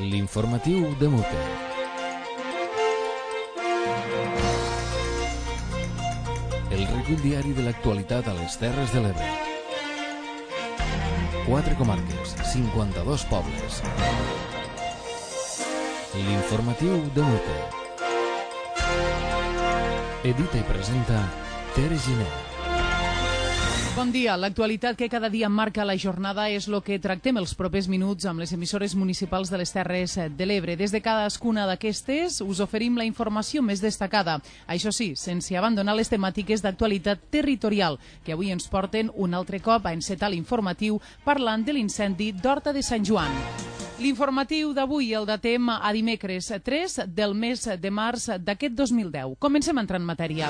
L'informatiu de Mute. El recull diari de l'actualitat a les Terres de l'Ebre. 4 comarques, 52 pobles. L'informatiu de Mute. Edita i presenta Tere Giner. Bon dia. L'actualitat que cada dia marca la jornada és el que tractem els propers minuts amb les emissores municipals de les Terres de l'Ebre. Des de cadascuna d'aquestes us oferim la informació més destacada. Això sí, sense abandonar les temàtiques d'actualitat territorial, que avui ens porten un altre cop a encetar l'informatiu parlant de l'incendi d'Horta de Sant Joan. L'informatiu d'avui el datem a dimecres 3 del mes de març d'aquest 2010. Comencem a entrar en matèria.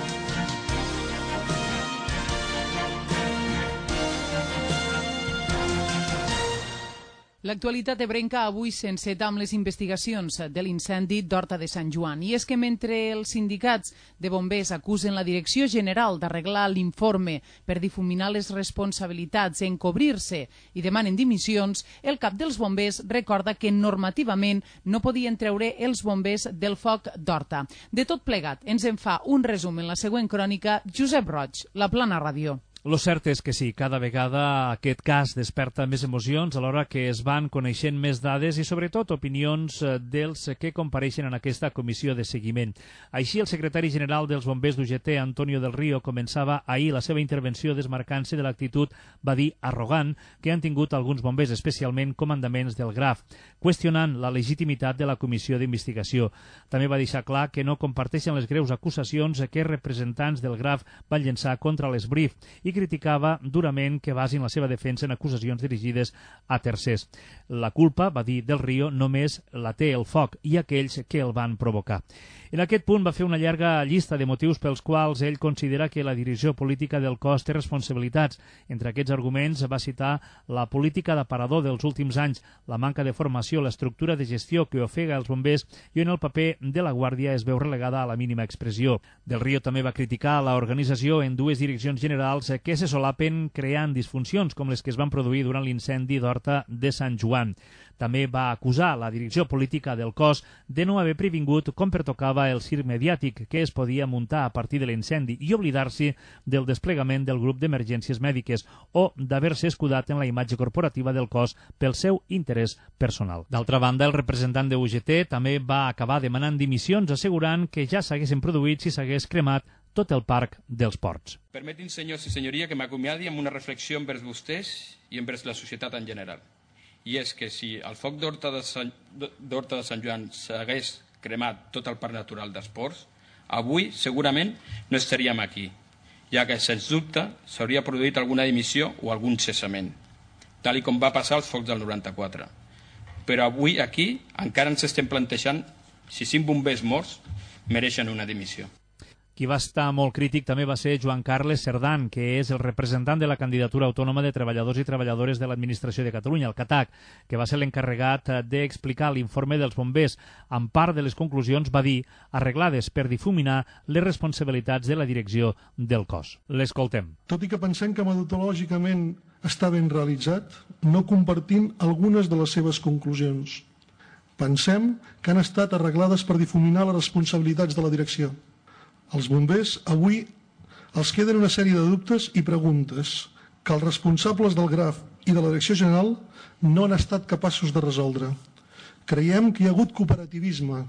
L'actualitat ebrenca avui s'enceta amb les investigacions de l'incendi d'Horta de Sant Joan. I és que mentre els sindicats de bombers acusen la Direcció General d'arreglar l'informe per difuminar les responsabilitats, encobrir-se i demanen dimissions, el cap dels bombers recorda que normativament no podien treure els bombers del foc d'Horta. De tot plegat, ens en fa un resum en la següent crònica Josep Roig, La Plana Ràdio. Lo cert és que sí, cada vegada aquest cas desperta més emocions alhora que es van coneixent més dades i sobretot opinions dels que compareixen en aquesta comissió de seguiment. Així, el secretari general dels bombers d'UGT, Antonio del Río, començava ahir la seva intervenció desmarcant-se de l'actitud, va dir, arrogant que han tingut alguns bombers, especialment comandaments del GRAF, qüestionant la legitimitat de la comissió d'investigació. També va deixar clar que no comparteixen les greus acusacions que representants del GRAF van llençar contra l'Esbrif i criticava durament que basin la seva defensa en acusacions dirigides a tercers. La culpa, va dir Del Río, només la té el foc i aquells que el van provocar. En aquest punt va fer una llarga llista de motius pels quals ell considera que la direcció política del cos té responsabilitats. Entre aquests arguments va citar la política d'aparador dels últims anys, la manca de formació, l'estructura de gestió que ofega els bombers i on el paper de la Guàrdia es veu relegada a la mínima expressió. Del Río també va criticar l'organització en dues direccions generals que se solapen creant disfuncions com les que es van produir durant l'incendi d'Horta de Sant Joan. També va acusar la direcció política del cos de no haver previngut com pertocava el circ mediàtic que es podia muntar a partir de l'incendi i oblidar-se del desplegament del grup d'emergències mèdiques o d'haver-se escudat en la imatge corporativa del cos pel seu interès personal. D'altra banda, el representant de UGT també va acabar demanant dimissions assegurant que ja s'haguessin produït si s'hagués cremat tot el parc dels ports. Permetin, senyors i senyoria, que m'acomiadi amb una reflexió envers vostès i envers la societat en general. I és que si el foc d'Horta de Sant Joan s'hagués cremat tot el parc natural d'esports, avui segurament no estaríem aquí, ja que, sens dubte, s'hauria produït alguna dimissió o algun cessament, tal com va passar als focs del 94. Però avui aquí encara ens estem plantejant si 5 bombers morts mereixen una dimissió. Qui va estar molt crític també va ser Joan Carles Cerdán, que és el representant de la candidatura autònoma de treballadors i treballadores de l'Administració de Catalunya, el CATAC, que va ser l'encarregat d'explicar l'informe dels bombers. En part de les conclusions va dir arreglades per difuminar les responsabilitats de la direcció del cos. L'escoltem. Tot i que pensem que metodològicament està ben realitzat, no compartim algunes de les seves conclusions. Pensem que han estat arreglades per difuminar les responsabilitats de la direcció. Els bombers avui els queden una sèrie de dubtes i preguntes que els responsables del GRAF i de la Direcció General no han estat capaços de resoldre. Creiem que hi ha hagut cooperativisme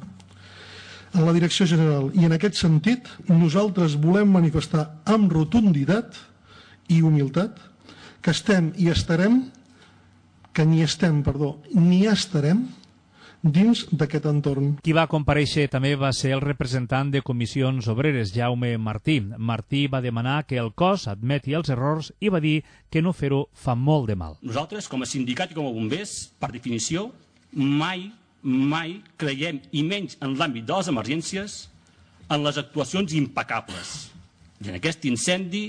en la Direcció General i en aquest sentit nosaltres volem manifestar amb rotunditat i humilitat que estem i estarem, que ni estarem dins d'aquest entorn. Qui va comparèixer també va ser el representant de Comissions Obreres, Jaume Martí. Martí va demanar que el cos admeti els errors i va dir que no fer-ho fa molt de mal. Nosaltres, com a sindicat i com a bombers, per definició, mai creiem, i menys en l'àmbit de les emergències, en les actuacions impecables. I en aquest incendi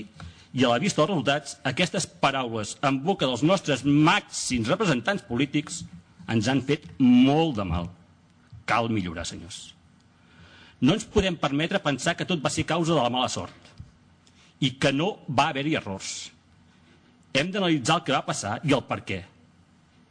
i a la vista dels resultats, aquestes paraules en boca dels nostres màxims representants polítics ens han fet molt de mal. Cal millorar, senyors. No ens podem permetre pensar que tot va ser causa de la mala sort i que no va haver-hi errors. Hem d'analitzar el que va passar i el per què.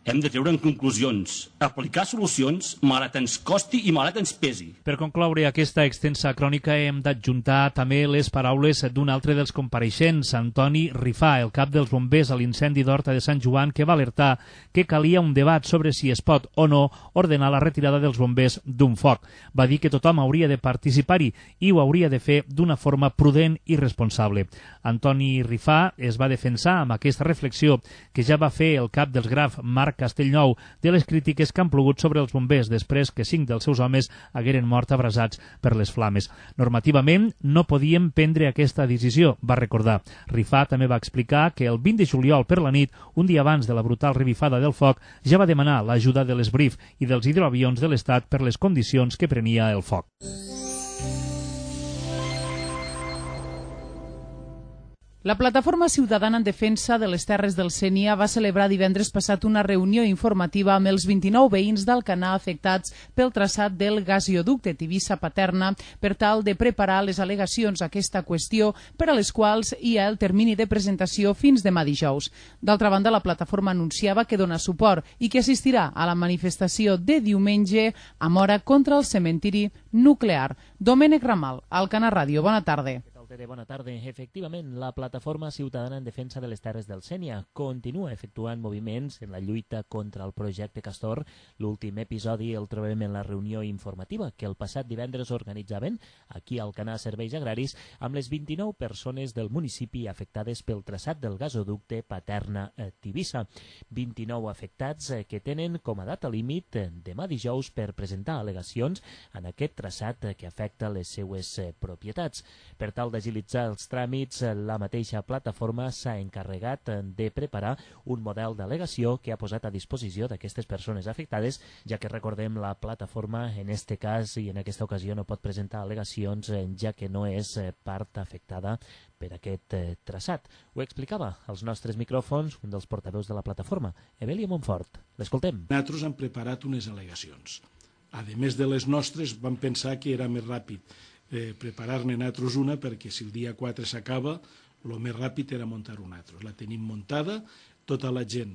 hem de treure en conclusions, aplicar solucions, malgrat ens costi i malgrat ens pesi. Per concloure aquesta extensa crònica hem d'adjuntar també les paraules d'un altre dels compareixents, Antoni Rifà, el cap dels bombers a l'incendi d'Horta de Sant Joan, que va alertar que calia un debat sobre si es pot o no ordenar la retirada dels bombers d'un foc. Va dir que tothom hauria de participar-hi i ho hauria de fer d'una forma prudent i responsable. Antoni Rifà es va defensar amb aquesta reflexió que ja va fer el cap dels GRAF, Marc Castellnou, de les crítiques que han plogut sobre els bombers després que 5 dels seus homes hagueren mort abrasats per les flames. Normativament no podíem prendre aquesta decisió, va recordar. Rifà també va explicar que el 20 de juliol per la nit, un dia abans de la brutal revifada del foc, ja va demanar l'ajuda de l'Esbrif i dels hidroavions de l'Estat per les condicions que prenia el foc. La Plataforma Ciutadana en Defensa de les Terres del Sénia va celebrar divendres passat una reunió informativa amb els 29 veïns d'Alcanar afectats pel traçat del gasoducte Tivissa-Paterna per tal de preparar les al·legacions a aquesta qüestió per a les quals hi ha el termini de presentació fins demà dijous. D'altra banda, la plataforma anunciava que dona suport i que assistirà a la manifestació de diumenge a Móra contra el cementiri nuclear. Domènec Ramal, Alcanar Ràdio, bona tarda. Bona tarda. Efectivament, la Plataforma Ciutadana en Defensa de les Terres del Sénia continua efectuant moviments en la lluita contra el projecte Castor. L'últim episodi el trobem en la reunió informativa que el passat divendres organitzaven aquí al Alcanar Serveis Agraris amb les 29 persones del municipi afectades pel traçat del gasoducte Paterna-Tivissa. 29 afectats que tenen com a data límit demà dijous per presentar al·legacions en aquest traçat que afecta les seues propietats. Per tal d'agilitzar els tràmits, la mateixa plataforma s'ha encarregat de preparar un model d'al·legació que ha posat a disposició d'aquestes persones afectades, ja que recordem la plataforma en este cas i en aquesta ocasió no pot presentar al·legacions ja que no és part afectada per aquest traçat. Ho explicava als nostres micròfons un dels portaveus de la plataforma, Evelia Montfort. L'escoltem. Nosaltres hem preparat unes al·legacions. A més de les nostres, vam pensar que era més ràpid preparar-ne nosaltres una, perquè si el dia 4 s'acaba, el més ràpid era muntar una altra. La tenim muntada, tota la gent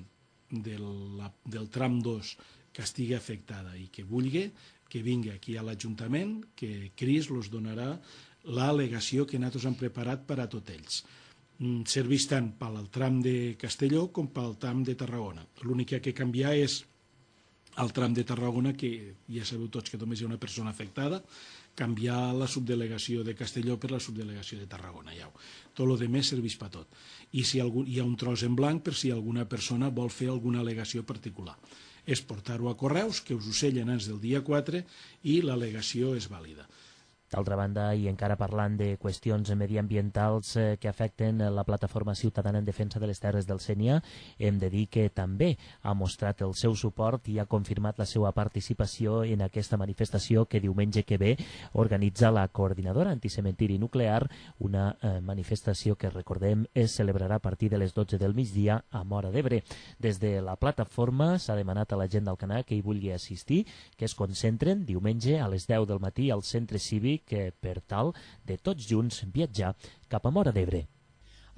del tram 2 que estigui afectada i que vulgui, que vingui aquí a l'Ajuntament, que Cris els donarà l'al·legació que nosaltres hem preparat per a tots ells. Serveix tant pel tram de Castelló com pel tram de Tarragona. L'únic que ha de canviar és el tram de Tarragona, que ja sabeu tots que només hi ha una persona afectada, canviar la subdelegació de Castelló per la subdelegació de Tarragona. Tot el que serveix per tot. I si hi ha un tros en blanc per si alguna persona vol fer alguna al·legació particular. És portar-ho a correus, que us ho sellen abans del dia 4 i l'al·legació és vàlida. D'altra banda, i encara parlant de qüestions mediambientals que afecten la Plataforma Ciutadana en Defensa de les Terres del Sénia, hem de dir que també ha mostrat el seu suport i ha confirmat la seva participació en aquesta manifestació que diumenge que ve organitza la Coordinadora Anticementiri Nuclear, una manifestació que, recordem, es celebrarà a partir de les 12 del migdia a Móra d'Ebre. Des de la plataforma s'ha demanat a la gent d'Alcanar que hi vulgui assistir, que es concentren diumenge a les 10 del matí al centre cívic per tal de tots junts viatjar cap a Móra d'Ebre.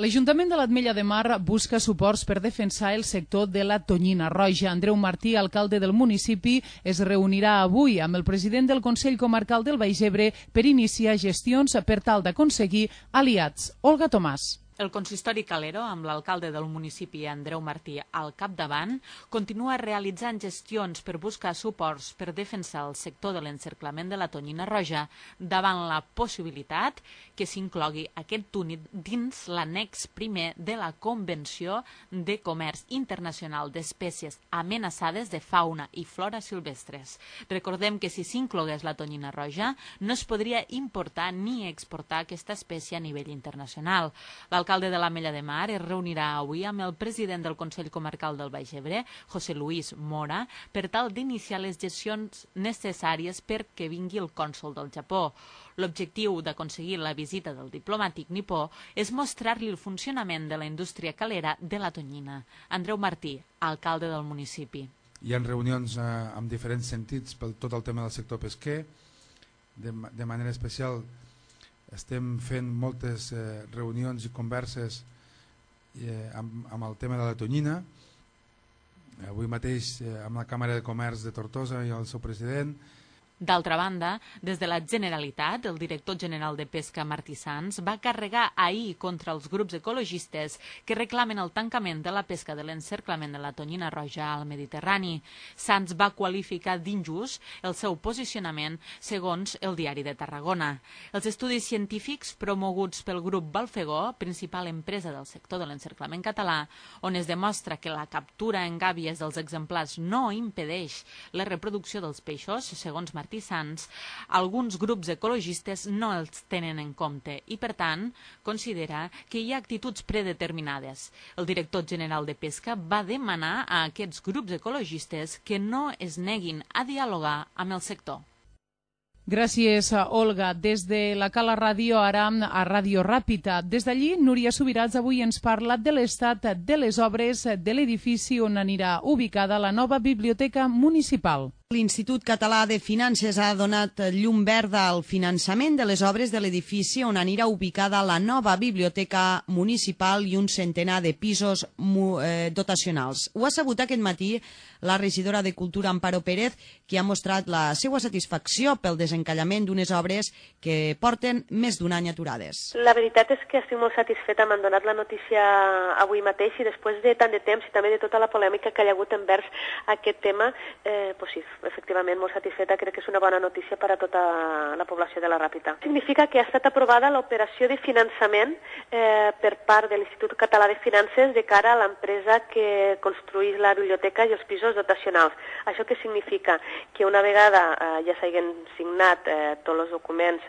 L'Ajuntament de l'Ametlla de Mar busca suports per defensar el sector de la tonyina roja. Andreu Martí, alcalde del municipi, es reunirà avui amb el president del Consell Comarcal del Baix Ebre per iniciar gestions per tal d'aconseguir aliats. Olga Tomàs. El consistori Calero, amb l'alcalde del municipi Andreu Martí al capdavant, continua realitzant gestions per buscar suports per defensar el sector de l'encerclament de la tonyina roja davant la possibilitat que s'inclogui aquest túnel dins l'annex primer de la Convenció de Comerç Internacional d'Espècies Amenaçades de Fauna i Flora Silvestres. Recordem que si s'inclogués la tonyina roja no es podria importar ni exportar aquesta espècie a nivell internacional. L'alcalde de l'Ametlla de Mar es reunirà avui amb el president del Consell Comarcal del Baix Ebre, José Luis Mora, per tal d'iniciar les gestions necessàries perquè vingui el cònsol del Japó. L'objectiu d'aconseguir la visita del diplomàtic nipó és mostrar-li el funcionament de la indústria calera de la tonyina. Andreu Martí, alcalde del municipi. Hi ha reunions amb diferents sentits per tot el tema del sector pesquer. De manera especial estem fent moltes reunions i converses amb el tema de la tonyina. Avui mateix amb la Càmera de Comerç de Tortosa i el seu president. D'altra banda, des de la Generalitat, el director general de Pesca, Martí Sans, va carregar ahir contra els grups ecologistes que reclamen el tancament de la pesca de l'encerclament de la tonyina roja al Mediterrani. Sans va qualificar d'injust el seu posicionament, segons el Diari de Tarragona. Els estudis científics promoguts pel grup Balfegó, principal empresa del sector de l'encerclament català, on es demostra que la captura en gàbies dels exemplars no impedeix la reproducció dels peixos, segons Martí Sans, alguns grups ecologistes no els tenen en compte i, per tant, considera que hi ha actituds predeterminades. El director general de Pesca va demanar a aquests grups ecologistes que no es neguin a dialogar amb el sector. Gràcies, Olga. Des de la Cala Ràdio, ara a Ràdio Ràpita. Des d'allí, Núria Subirats avui ens parla de l'estat de les obres de l'edifici on anirà ubicada la nova biblioteca municipal. L'Institut Català de Finances ha donat llum verda al finançament de les obres de l'edifici on anirà ubicada la nova biblioteca municipal i un centenar de pisos dotacionals. Ho ha sabut aquest matí la regidora de Cultura, Amparo Pérez, que ha mostrat la seva satisfacció pel desencallament d'unes obres que porten més d'un any aturades. La veritat és que estic molt satisfeta. M'han donat la notícia avui mateix i després de tant de temps i també de tota la polèmica que hi ha hagut envers aquest tema, sí, efectivament, molt satisfeta. Crec que és una bona notícia per a tota la població de la Ràpita. Significa que ha estat aprovada l'operació de finançament per part de l'Institut Català de Finances de cara a l'empresa que construïx la biblioteca i els pisos dotacionals. Això què significa? Que una vegada ja s'hagin signat tots els documents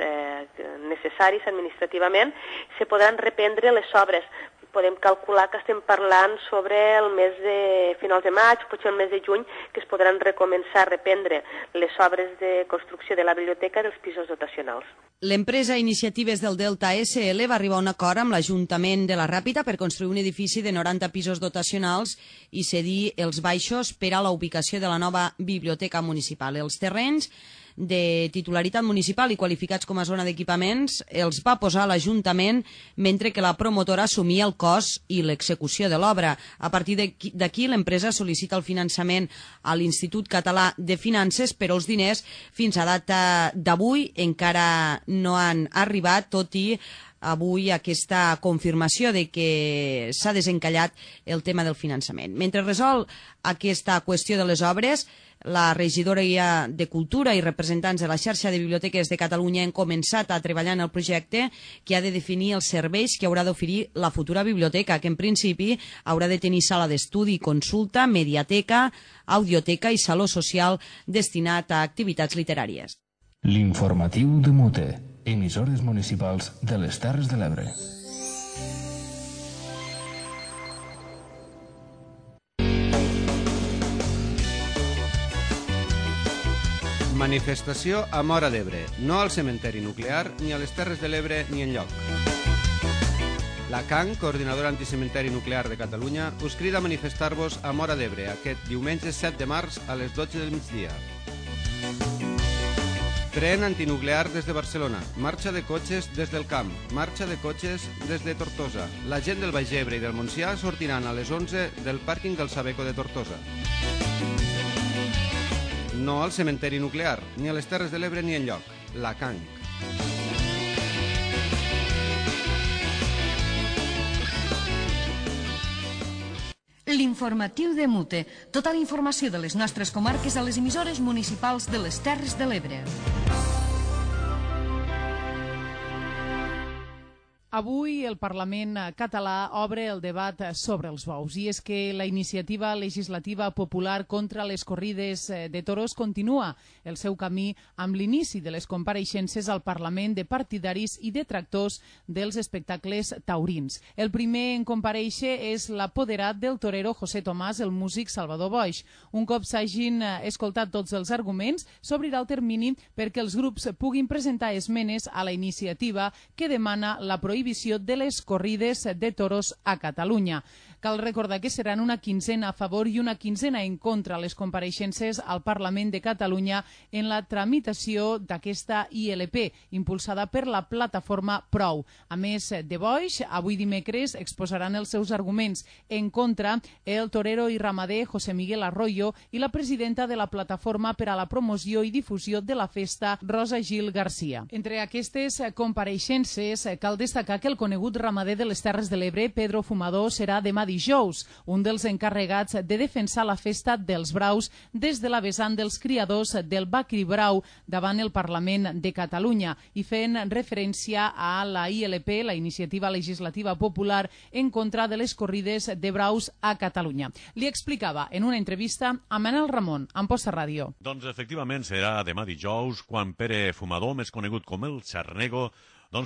necessaris administrativament, se podran reprendre les obres. Podem calcular que estem parlant sobre el mes de finals de maig, potser el mes de juny, que es podran recomençar a reprendre les obres de construcció de la biblioteca i dels pisos dotacionals. L'empresa Iniciatives del Delta SL va arribar a un acord amb l'Ajuntament de la Ràpita per construir un edifici de 90 pisos dotacionals i cedir els baixos per a la ubicació de la nova biblioteca municipal. Els terrenys de titularitat municipal i qualificats com a zona d'equipaments els va posar l'Ajuntament mentre que la promotora assumia el cost i l'execució de l'obra. A partir d'aquí l'empresa sol·licita el finançament a l'Institut Català de Finances, però els diners fins a data d'avui encara no han arribat, tot i avui aquesta confirmació de que s'ha desencallat el tema del finançament. Mentre resol aquesta qüestió de les obres, la regidora de Cultura i representants de la xarxa de biblioteques de Catalunya han començat a treballar en el projecte que ha de definir els serveis que haurà d'oferir la futura biblioteca, que en principi haurà de tenir sala d'estudi, consulta, mediateca, audioteca i saló social destinat a activitats literàries. L'informatiu de Mute, emissores municipals de les Terres de l'Ebre. Manifestació a Móra d'Ebre, no al cementeri nuclear, ni a les Terres de l'Ebre ni enlloc. La CAN, Coordinadora Anticementeri Nuclear de Catalunya, us crida a manifestar-vos a Móra d'Ebre aquest diumenge 7 de març a les 12 del migdia. Tren antinuclear des de Barcelona, marxa de cotxes des del Camp, marxa de cotxes des de Tortosa. La gent del Baix Ebre i del Montsià sortiran a les 11 del pàrquing del Sabeco de Tortosa. No al cementeri nuclear, ni a les Terres de l'Ebre ni enlloc. La CAN. L'informatiu de Mute. Tota la informació de les nostres comarques a les emissores municipals de les Terres de l'Ebre. Avui el Parlament català obre el debat sobre els bous i és que la iniciativa legislativa popular contra les corrides de toros continua el seu camí amb l'inici de les compareixences al Parlament de partidaris i detractors dels espectacles taurins. El primer en comparèixer és l'apoderat del torero José Tomàs, el músic Salvador Boix. Un cop s'hagin escoltat tots els arguments, s'obrirà el termini perquè els grups puguin presentar esmenes a la iniciativa que demana la prohibició de les corrides de toros a Catalunya. Cal recordar que seran una quinzena a favor i una quinzena en contra les compareixences al Parlament de Catalunya en la tramitació d'aquesta ILP, impulsada per la plataforma Prou. A més de Boix, avui dimecres exposaran els seus arguments en contra el torero i ramader José Miguel Arroyo i la presidenta de la plataforma per a la promoció i difusió de la festa, Rosa Gil Garcia. Entre aquestes compareixences cal destacar que el conegut ramader de les Terres de l'Ebre, Pedro Fumador, serà demà dijous, un dels encarregats de defensar la festa dels braus des de la vessant dels criadors del Bacri Brau davant el Parlament de Catalunya i fent referència a la ILP, la Iniciativa Legislativa Popular en contra de les corrides de braus a Catalunya. Li explicava en una entrevista a Manel Ramon, a Amposta Ràdio. Doncs efectivament serà demà dijous quan Pere Fumador, més conegut com el Xarnego,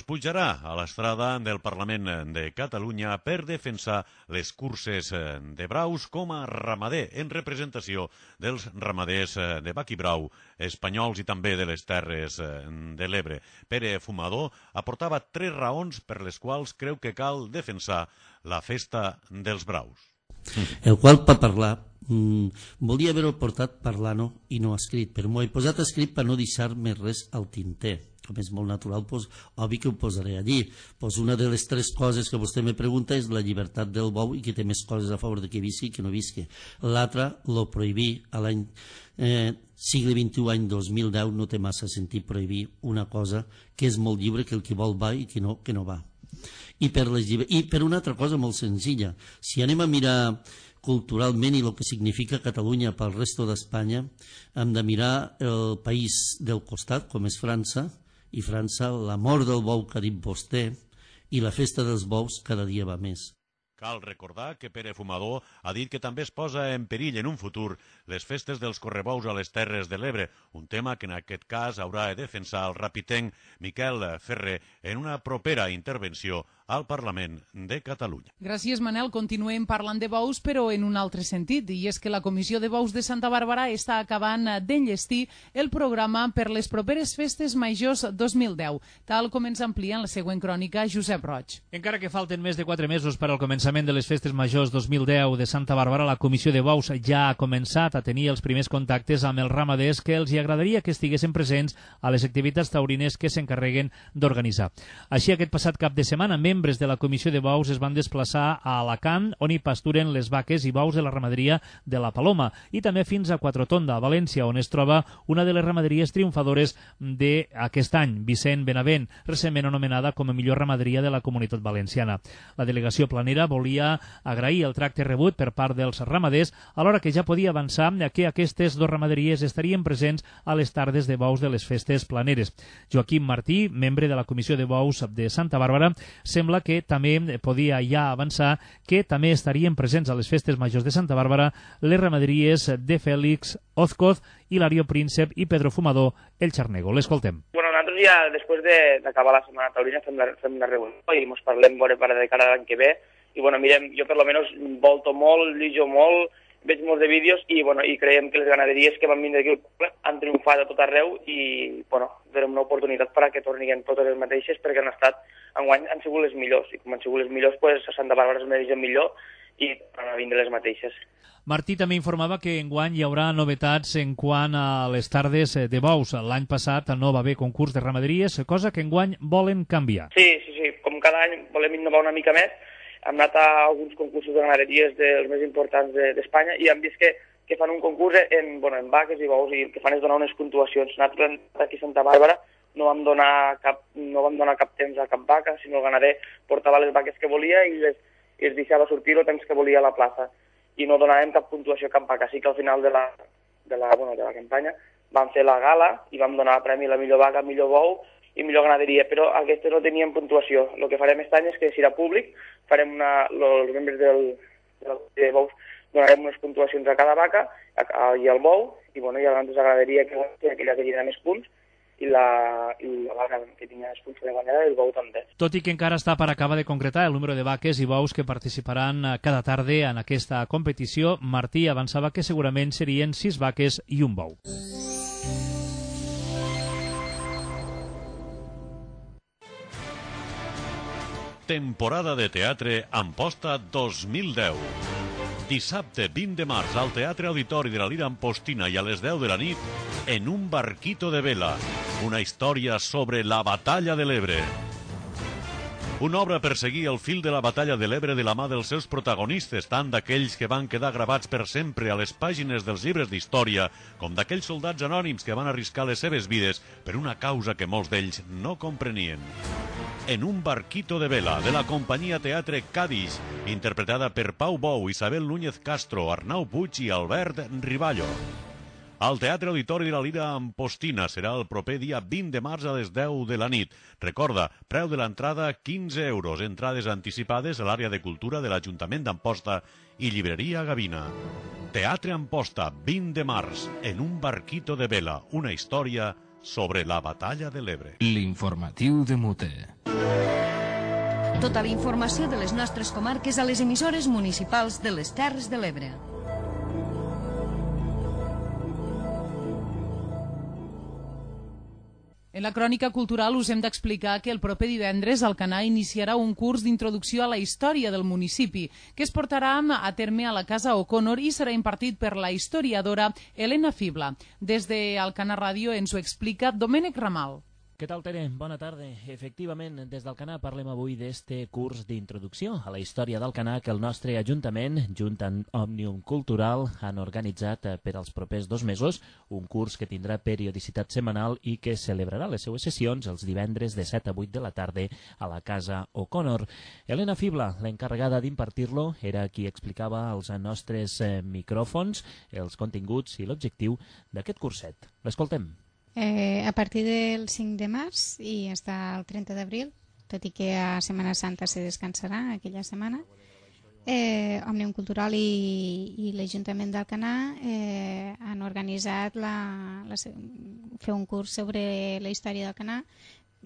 pujarà a l'estrada del Parlament de Catalunya per defensar les curses de braus com a ramader en representació dels ramaders de Bac i Brau espanyols i també de les Terres de l'Ebre. Pere Fumador aportava 3 raons per les quals creu que cal defensar la festa dels braus. El qual per parlar volia haver-ho portat parlant i no escrit, però m'ho he posat escrit per no deixar-me res al tinter. Com és molt natural, obvi que ho posaré allí. Una de les 3 coses que vostè me pregunta és la llibertat del bou i que té més coses a favor de que visqui i que no visqui. L'altra, lo prohibir a l'any segle XXI, any 2010, no té massa sentit prohibir una cosa que és molt lliure, que el que vol va i que no va. I per una altra cosa molt senzilla, si anem a mirar culturalment i el que significa Catalunya pel resto d'Espanya, hem de mirar el país del costat, com és França, i França, la mort del bou que ha dit vostè, i la festa dels bous cada dia va més. Cal recordar que Pere Fumador ha dit que també es posa en perill en un futur les festes dels correbous a les Terres de l'Ebre, un tema que en aquest cas haurà de defensar el rapitenc Miquel Ferrer en una propera intervenció al Parlament de Catalunya. Gràcies, Manel. Continuem parlant de bous, però en un altre sentit, i és que la Comissió de Bous de Santa Bàrbara està acabant d'enllestir el programa per les properes festes majors 2010, tal com ens amplia en la següent crònica Josep Roig. Encara que falten més de 4 mesos per al començament de les festes majors 2010 de Santa Bàrbara, la Comissió de Bous ja ha començat a tenir els primers contactes amb els ramaders que els agradaria que estiguessin presents a les activitats taurines que s'encarreguen d'organitzar. Així, aquest passat cap de setmana, membres de la Comissió de Bous es van desplaçar a Alacant, on hi pasturen les vaques i bous de la ramaderia de la Paloma, i també fins a Quatretonda, a València, on es troba una de les ramaderies triomfadores d'aquest any, Vicent Benavent, recentment anomenada com a millor ramaderia de la Comunitat Valenciana. La delegació planera volia agrair el tracte rebut per part dels ramaders, alhora que ja podia avançar que aquestes 2 ramaderies estarien presents a les tardes de bous de les festes planeres. Joaquim Martí, membre de la Comissió de Bous de Santa Bàrbara, sembla que també podia ja avançar que també estarien presents a les festes majors de Santa Bàrbara les ramaderies de Fèlix Ozcoz, Hilario Príncep i Pedro Fumador, el Xarnego. L'escoltem. Bueno, nosaltres ja, després d'acabar la Setmana Taurina, fem la reunió i ens parlem de cara a l'any que ve. I, bueno, mirem, jo per lo menos volto molt, llegeixo molt, veig molts de vídeos i creiem que les ganaderies que van vindre aquí han triomfat a tot arreu i, donem una oportunitat perquè tornin totes les mateixes perquè enguany han sigut les millors i com han sigut les millors, a Santa Bàrbara es mereixen millor i van a vindre les mateixes. Martí també informava que enguany hi haurà novetats en quant a les tardes de bous. L'any passat no va haver concurs de ramaderies, cosa que enguany volen canviar. Sí, com cada any volem innovar una mica més. Hem anat a alguns concursos de ramaderies dels més importants d'Espanya i hem vist que fan un concurs en vaques i bous i el que fan és donar unes puntuacions. Nosaltres aquí a Santa Bàrbara no vam donar cap temps a cap vaca, sinó el ganader portava les vaques que volia i es deixava sortir el temps que volia a la plaça. I no donàvem cap puntuació a cap vaca. Així que al final de la campanya vam fer la gala i vam donar premi a la millor vaca, millor bou i millor ganaderia, però aquestes no tenien puntuació. El que farem aquest any és que serà públic, farem els membres de bous donarem unes puntuacions a cada vaca i al bou, i llavors la ganaderia que aquella que tindrà més punts i la vaca que tenia més punts de guanyada i el bou també. Tot i que encara està per acabar de concretar el número de vaques i bous que participaran cada tarda en aquesta competició, Martí avançava que segurament serien 6 vaques i un bou. Temporada de teatre Amposta 2010. Dissabte 20 de març al Teatre Auditori de la Lira Ampostina i a les 10 de la nit, En un barquito de vela, una història sobre la batalla de l'Ebre. Una obra per seguir el fil de la batalla de l'Ebre de la mà dels seus protagonistes, tant d'aquells que van quedar gravats per sempre a les pàgines dels llibres d'història, com d'aquells soldats anònims que van arriscar les seves vides per una causa que molts d'ells no comprenien. En un barquito de vela, de la companyia Teatre Cádiz, interpretada per Pau Bou, Isabel Núñez Castro, Arnau Puig i Albert Riballo. Al Teatre Auditori de la Lira Ampostina serà el proper dia 20 de març a les 10 de la nit. Recorda, preu de l'entrada 15 euros, entrades anticipades a l'àrea de cultura de l'Ajuntament d'Amposta i llibreria Gavina. Teatre Amposta, 20 de març, En un barquito de vela, una història sobre la batalla de l'Ebre. L'informatiu de Mute. Tota la informació de les nostres comarques a les emissores municipals de les Terres de l'Ebre. En la crònica cultural us hem d'explicar que el proper divendres Alcanar iniciarà un curs d'introducció a la història del municipi, que es portarà a terme a la Casa O'Connor i serà impartit per la historiadora Helena Fibla. Des d'Alcanar Ràdio ens ho explica Domènec Ramal. Què tal, Tere? Bona tarda. Efectivament, des d'Alcanar parlem avui d'este curs d'introducció a la història d'Alcanar que el nostre Ajuntament, junt amb Òmnium Cultural, han organitzat per als propers 2 mesos, un curs que tindrà periodicitat setmanal i que celebrarà les seues sessions els divendres de 7 a 8 de la tarda a la Casa O'Connor. Helena Fibla, l'encarregada d'impartir-lo, era qui explicava als nostres micròfons els continguts i l'objectiu d'aquest curset. L'escoltem. A partir del 5 de març i fins al 30 d'abril, tot i que a Setmana Santa se descansarà aquella setmana, Òmnium Cultural i l'Ajuntament d'Alcanar han organitzat fer un curs sobre la història d'Alcanar,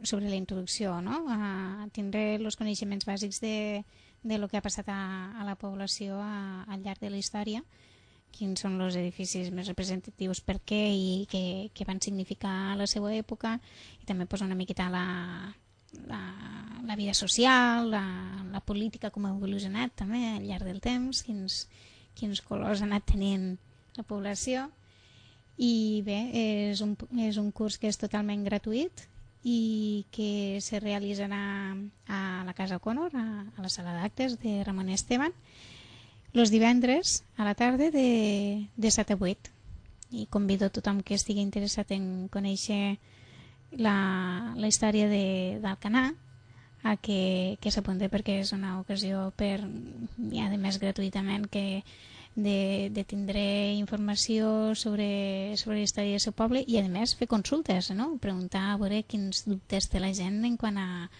sobre la introducció, no? A tindre els coneixements bàsics de lo que ha passat a la població al llarg de la història, quins són els edificis més representatius, per què i què van significar a la seva època, i també una miqueta la vida social, la política, com ha evolucionat també al llarg del temps, quins colors ha anat tenint la població. I bé, és un curs que és totalment gratuït i que se realitzarà a la Casa O'Connor, a la sala d'actes de Ramon Esteban, els divendres a la tarda de 7 a 8. I convido a tothom que estigui interessat en conèixer la història d'Alcanar a que s'apunti, perquè és una ocasió per, i a més gratuïtament, de tindre informació sobre la història del seu poble i a més fer consultes, no? Preguntar a veure quins dubtes té la gent en quant a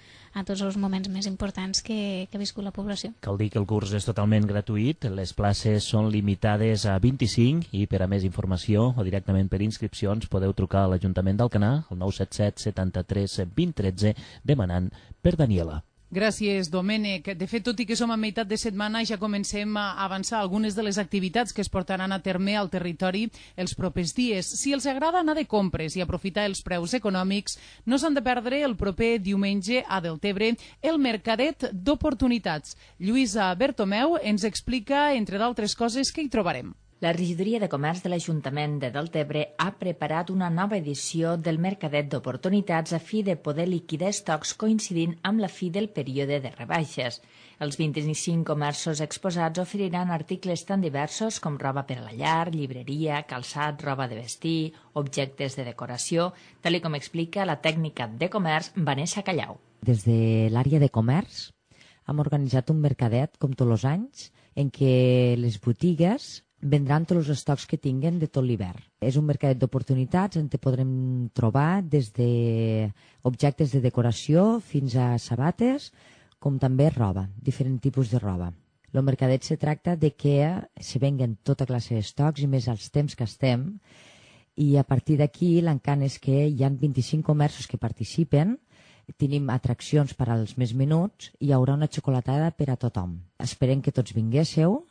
tots els moments més importants que ha viscut la població. Cal dir que el curs és totalment gratuït, les places són limitades a 25 i per a més informació o directament per inscripcions podeu trucar a l'Ajuntament d'Alcanar al 977 73 20 13 demanant per Daniela. Gràcies, Domènec. De fet, tot i que som a meitat de setmana, ja comencem a avançar algunes de les activitats que es portaran a terme al territori els propers dies. Si els agrada anar de compres i aprofitar els preus econòmics, no s'han de perdre el proper diumenge a Deltebre el Mercadet d'Oportunitats. Lluïsa Bertomeu ens explica, entre d'altres coses, què hi trobarem. La Regidoria de Comerç de l'Ajuntament de Deltebre ha preparat una nova edició del Mercadet d'Oportunitats a fi de poder liquidar estocs coincidint amb la fi del període de rebaixes. Els 25 comerços exposats oferiran articles tan diversos com roba per a la llar, llibreria, calçat, roba de vestir, objectes de decoració, tal com explica la tècnica de comerç Vanessa Callau. Des de l'àrea de comerç hem organitzat un mercadet, com tots els anys, en què les botigues vendran tots els estocs que tinguen de tot l'hivern. És un mercadet d'oportunitats on podrem trobar des d'objectes de decoració fins a sabates, com també roba, diferents tipus de roba. El mercadet se tracta de que se venguen tota classe d'estocs i més als temps que estem, i a partir d'aquí l'encant és que hi ha 25 comerços que participen, tenim atraccions per als més menuts i hi haurà una xocolatada per a tothom. Esperem que tots vinguéssiu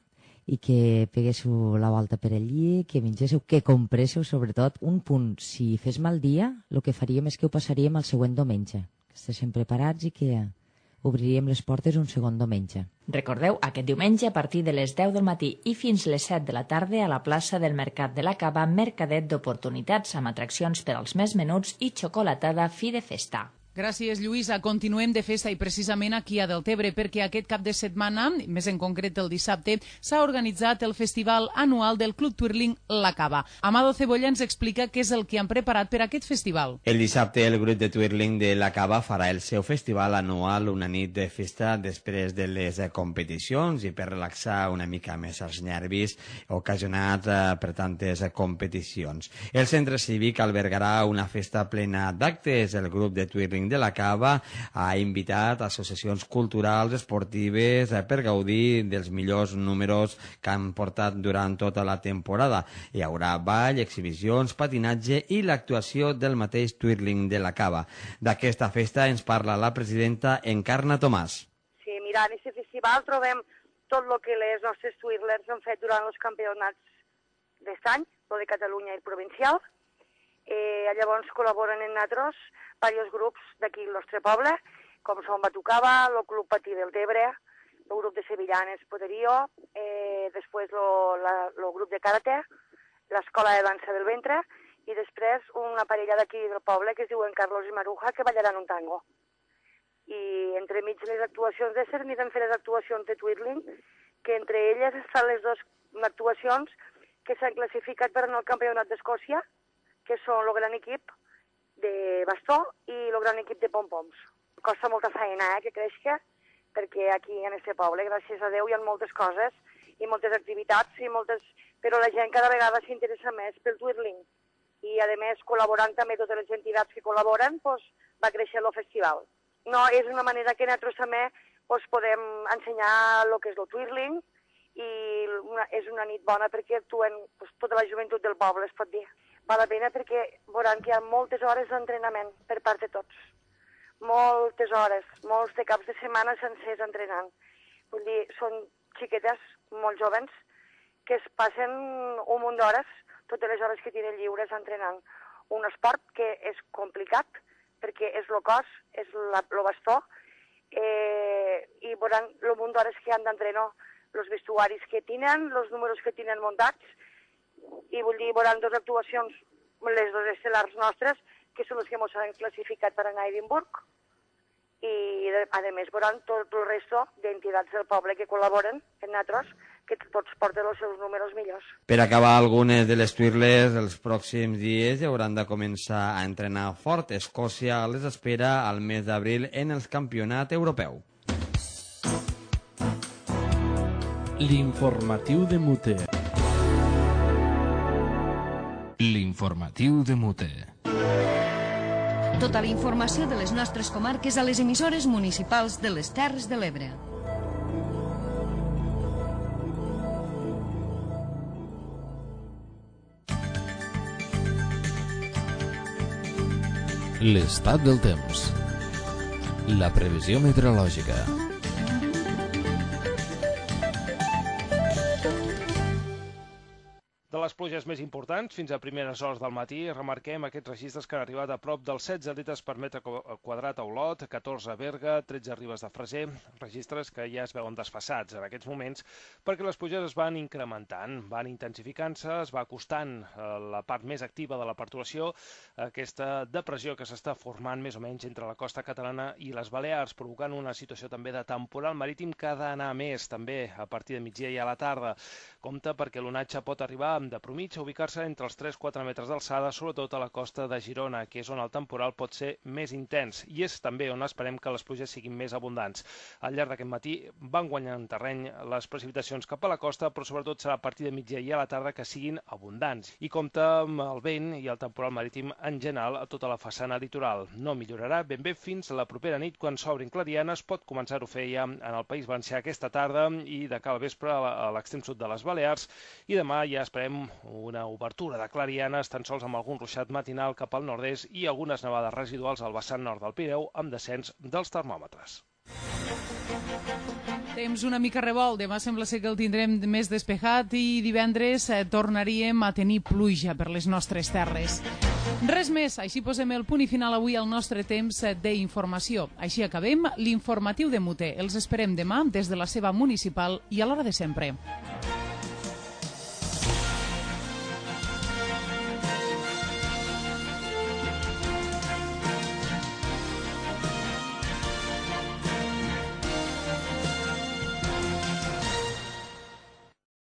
i que peguéssiu la volta per allí, que mengéssiu, que compréssiu, sobretot. Un punt, si fes mal dia, el que faríem és que ho passaríem al següent diumenge, que estiguem preparats i que Obriríem les portes un segon diumenge. Recordeu, aquest diumenge a partir de les 10 del matí i fins les 7 de la tarda a la plaça del Mercat de la Cava, mercadet d'oportunitats amb atraccions per als més menuts i xocolatada fi de festa. Gràcies, Lluïsa. Continuem de festa i precisament aquí a Deltebre, perquè aquest cap de setmana, més en concret el dissabte, s'ha organitzat el festival anual del Club Twirling La Cava. Amado Cebolla ens explica què és el que han preparat per aquest festival. El dissabte el grup de Twirling de La Cava farà el seu festival anual, una nit de festa després de les competicions i per relaxar una mica més els nervis ocasionats per tantes competicions. El centre cívic albergarà una festa plena d'actes. El grup de Twirling de La Cava ha invitat associacions culturals, esportives, per gaudir dels millors números que han portat durant tota la temporada. Hi haurà ball, exhibicions, patinatge i l'actuació del mateix Twirling de La Cava. D'aquesta festa ens parla la presidenta Encarna Tomàs. Sí, mira, en aquest festival trobem tot el que les nostres twirlers han fet durant els campionats d'aquest any, el de Catalunya i el provincial. Llavors col·laboren en nosaltres diversos grups d'aquí al nostre poble, com són Batucava, el Club Patí del Tebre, el grup de Sevillanes Poderío, després el grup de Karate, l'escola de dansa del ventre, i després una parella d'aquí del poble que es diuen Carlos i Maruja, que ballaran un tango. I entremig les actuacions de anirem fer les actuacions de Twirling, que entre elles estan les dues actuacions que s'han classificat per anar al Campionat d'Escòcia, que són el gran equip de bastó i el gran equip de pom-poms. Costa molta feina que creixi, perquè aquí en aquest poble, gràcies a Déu, hi ha moltes coses i moltes activitats, però la gent cada vegada s'interessa més pel Twirling. I, a més, col·laborant també totes les entitats que col·laboren, va créixer el festival. No, és una manera que nosaltres també podem ensenyar el que és el Twirling, i és una nit bona perquè actuen tota la joventut del poble, es pot dir. Val la pena perquè veuran que hi ha moltes hores d'entrenament per part de tots. Moltes hores, molts de caps de setmana sencers entrenant. Vull dir, són xiquetes molt joves que es passen un munt d'hores, totes les hores que tenen lliures entrenant. Un esport que és complicat perquè és el cos, és el bastó, i veuran el munt d'hores que han d'entrenar, els vestuaris que tenen, els números que tenen muntats, i vull dir, veuran dues actuacions, les dues estel·lars nostres, que són les que ens han classificat per anar a Edimburg, i a més veuran tot el resto d'entitats del poble que col·laboren en nosaltres, que tots porten els seus números millors. Per acabar, algunes de les twirlers els pròxims dies hauran de començar a entrenar fort. Escòcia les espera al mes d'abril en el campionat europeu. L'informatiu de Mute. L'informatiu de Mute. Tota la informació de les nostres comarques a les emissores municipals de les Terres de l'Ebre. L'estat del temps. La previsió meteorològica. De les pluges més importants, fins a primeres hores del matí, remarquem aquests registres que han arribat a prop dels 16 litres per metre quadrat a Olot, 14 a Berga, 13 a Ribes de Freser, registres que ja es veuen desfassats en aquests moments perquè les pluges es van incrementant, van intensificant-se, es va acostant la part més activa de la perturbació, aquesta depressió que s'està formant més o menys entre la costa catalana i les Balears, provocant una situació també de temporal marítim que ha d'anar més també a partir de migdia i a la tarda. Compte perquè l'onatge pot arribar de promig a ubicar-se entre els 3-4 metres d'alçada, sobretot a la costa de Girona, que és on el temporal pot ser més intens, i és també on esperem que les pluges siguin més abundants. Al llarg d'aquest matí van guanyant terreny les precipitacions cap a la costa, però sobretot serà a partir de migdia i a la tarda que siguin abundants. I compte amb el vent i el temporal marítim en general a tota la façana litoral. No millorarà ben bé fins a la propera nit, quan s'obrin clarianes, pot començar-ho a fer ja en el País Valencià aquesta tarda i de cara al vespre a l'extrem sud de les Balears, i demà ja esperem una obertura de clarianes, tan sols amb algun ruixat matinal cap al nord-est i algunes nevades residuals al vessant nord del Pireu, amb descens dels termòmetres. Temps una mica revolt, demà sembla ser que el tindrem més despejat i divendres tornaríem a tenir pluja per les nostres terres. Res més, així posem el punt i final avui al nostre temps d'informació. Així acabem l'informatiu de Muté. Els esperem demà des de la seva municipal i a l'hora de sempre.